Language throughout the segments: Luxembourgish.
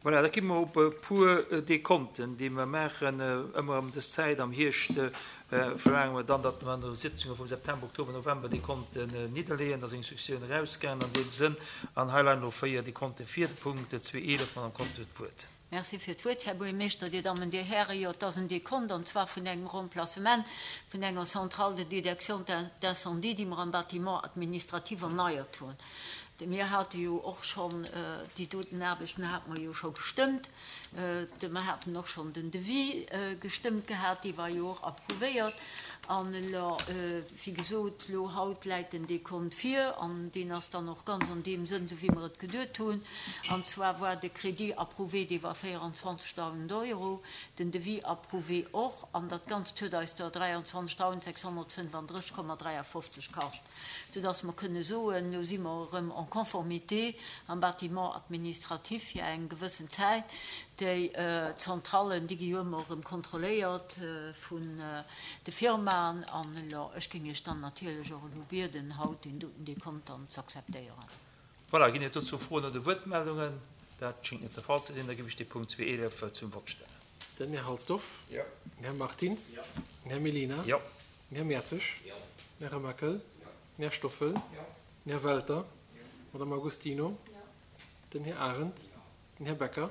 Voilà, da gi mer op e puer Dekonten, déi mer maachen. Ëmmer ëm dës Zäit am Hierscht verlaange mer dann, datt mer an de Sitzunge vum September, Oktober, November Dekonten nidderleeën. Da sinn Instructiounen erausgaangen an deem Sënn. An hei leien elo 4 Dekonte vir. De Punkt 2.11, Madame Conter huet d'Wuert. Merci fir d'Wuert, Här Buergermeeschter, Dir Dammen, Dir Hären. Jo, et ass en Dekont, an zwar vun engem Remplacement vun enger Centrale de détection d'incendie, déi mer am Bâtiment administratif erneiert hunn. Mir hate jo och schonn déi doten Aarbechten hate mer jo scho gestëmmt. Mer haten och schonn den Devis gestëmmt gehat, dee war jo och approuvéiert. An elo, wéi gesot, elo haut läit den Dekont vir an deen ass dann och ganz an deem Sënn, esou wéi mer et geduet hunn. An zwar war de Crédit approuvé, dee war 24.000 Euro, den Devis approuvé och, an dat Ganzt huet eis der 23.635,53 kascht. Soudass mer kënne soen, elo si mer erëm en conformité am Bâtiment administratif fir eng gewëssen Zäit. Déi Zentrallen, déi gi jo ëmmer erëm kontrolléiert vun de Firmaen. An elo, ech géing Iech dann natierlech och elo bieden, haut deen doten Dekont dann z'akzeptéieren. Voilà, ginn et dozou Froen oder Wuertmeldungen? Dat schéngt net de Fall ze sinn. Da géif ech dee Punkt 2.11 zum Vott stellen. Den Här Halsdorf. Jo. Den Här Martins. Jo. Den Här Mellina. Jo. Den Här Mertzig. Jo. Den Här Remakel. Jo. Den Här Stoffel. Jo. Den Här Welter. Jo. D'Madame Agostino. Jo. Den Här Arendt. Jo. Den Här Becker. Jo.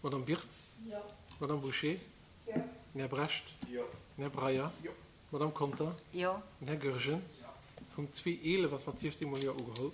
D'Madame Birtz. Jo. D'Madame Bouché. Jo. Den Här Brecht. Jo. Den Här Breyer. Jo. D'Madame Conter. Jo. Den Här Goergen. Jo. Punkt 2.11 ass mat 16 mol Jo ugeholl.